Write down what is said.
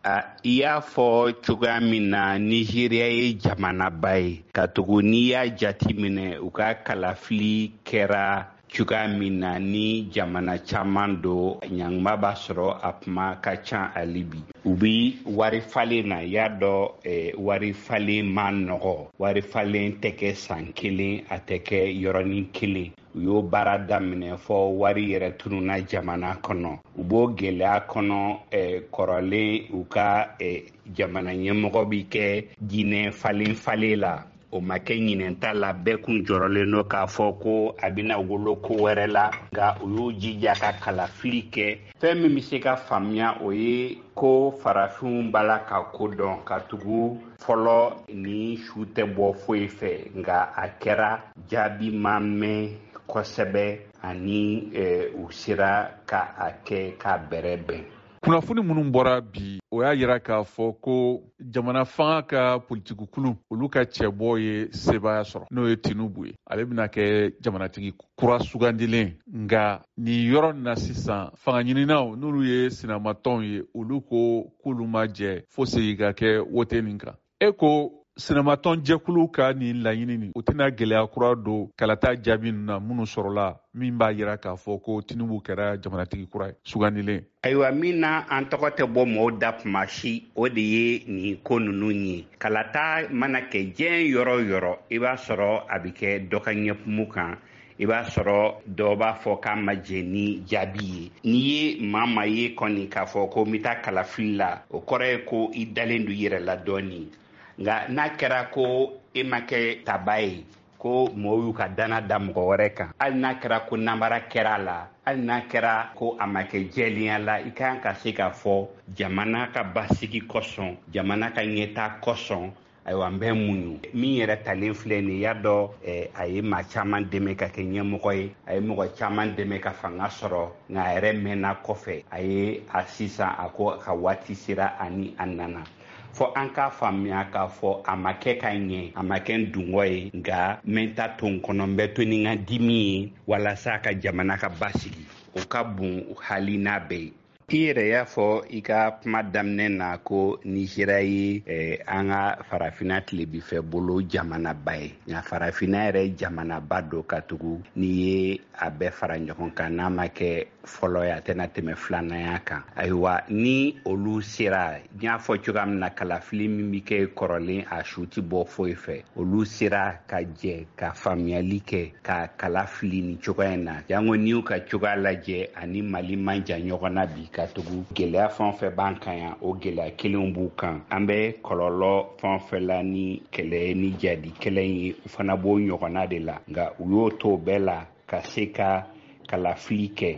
I y'a fɔ cogoya min na, Nizeriya ye jamanaba ye, katugu n'i y'a jatiminɛ u ka kalafili kɛra cogoya min na, ni jamana caman don, ɲanguma b'a sɔrɔ, a kuma ka ca hali bi. U bi wari falen na, y'a dɔn, wari falen ma nɔgɔ, wari falen tɛ kɛ san kelen, a tɛ kɛ yɔrɔnin kelen. U y'o baara daminɛ fɔ wari yɛrɛ tununa jamana kɔnɔ. U b'o gɛlɛya kɔnɔ, kɔrɔlen u ka jamana ɲɛmɔgɔ bi kɛ jinɛ falen falen la. O ma kɛ ɲinɛnta la, bɛɛ kun jɔrɔlen don k'a fɔ ko a bɛna wolo ko wɛrɛ la, nka u y'u jija ka kalafili kɛ. Fɛn min bɛ se ka faamuya, o ye ko farafinw b'a la ka ko dɔn, ka tugu fɔlɔ ni su tɛ bɔ foyi fɛ, nka a kɛra jaabi ma mɛn kosɛbɛ, ani u sera ka a kɛ k'a bɛrɛ bɛn. Kunnafoni minnu bɔra bi, o y'a yira k'a fɔ ko jamana fanga ka politikukulu, olu ka cɛbɔ ye sebaaya sɔrɔ, n'o ye Tinubu ye. Ale bɛna kɛ jamanatigi kura sugandilen. Nka nin yɔrɔ na sisan, fanga ɲininaw, n'olu ye sinamatɔnw ye, olu ko k'olu ma jɛ fo segin ka kɛ wote nin kan. E ko sinamatɔn jɛkulu ka nin laɲini nin, o tɛna gɛlɛya kura don kalata jaabi ninnu na minnu sɔrɔla, min b'a yira k'a fɔ ko Tinubu kɛra jamanatigi kura ye sugandilen? Ayiwa, min na an tɔgɔ tɛ bɔ mɔgɔw da kuma si, o de ye nin ko ninnu ye. Kalata mana kɛ diɲɛ yɔrɔ o yɔrɔ, i b'a sɔrɔ a bɛ kɛ dɔ ka ɲɛkumu kan, i b'a sɔrɔ dɔ b'a fɔ k'a ma jɛn ni jaabi ye. N'i ye maa maa ye kɔni k'a fɔ ko n bɛ taa kalafili la, o kɔrɔ ye ko i dalen don i yɛrɛ la dɔɔni. Nka n'a kɛra ko e ma kɛ taba ye, ko mɔgɔw y'u ka dana da mɔgɔ wɛrɛ kan, hali n'a kɛra ko namara kɛra a la, hali n'a kɛra ko a ma kɛ jɛlenya la, i kan ka se k'a fɔ jamana ka basigi kosɔn, jamana ka ɲɛtaa kosɔn, ayiwa, n bɛ muɲu. Min yɛrɛ talen filɛ nin, y'a dɔn, a ye maa caman dɛmɛ ka kɛ ɲɛmɔgɔ ye, a ye mɔgɔ caman dɛmɛ ka fanga sɔrɔ, nka a yɛrɛ mɛnna kɔfɛ. A ye a sisan a ko a ka waati sera ani a nana. Fɔ an k'a faamuya k'a fɔ a ma kɛ ka ɲɛ, a ma kɛ n dungɔ ye, nka n bɛ n ta to n kɔnɔ, n bɛ to ni n ka dimi ye walasa ka jamana ka basigi. O ka bon hali n'a bɛɛ ye. I yɛrɛ y'a fɔ i ka kuma daminɛ na ko Nizeriya ye an ka farafinna tilebifɛ bolo jamanaba ye, nka farafinna yɛrɛ jamanaba don, ka tugu n'i ye a bɛɛ fara ɲɔgɔn kan, n'a ma kɛ fɔlɔ ye, a tɛna tɛmɛ filananya kan. Ayiwa, ni olu sera, n y'a fɔ cogoya min na, kalafili min bɛ kɛ kɔrɔlen, a su tɛ bɔ foyi fɛ, olu sera ka jɛ ka faamuyali kɛ ka kala fili nin cogoya in na. Jango n'i y'u ka cogoya lajɛ, ani Mali man jan ɲɔgɔn na bi, ka tugu gɛlɛya fɛn o fɛn b'an kan yan, o gɛlɛya kelenw b'u kan. An bɛ kɔlɔlɔ fɛn o fɛn la ni kɛlɛ ni jadi kɛlɛ ye, u fana b'o ɲɔgɔnna de la. Nka u y'o to o bɛɛ la ka se ka kalafili kɛ.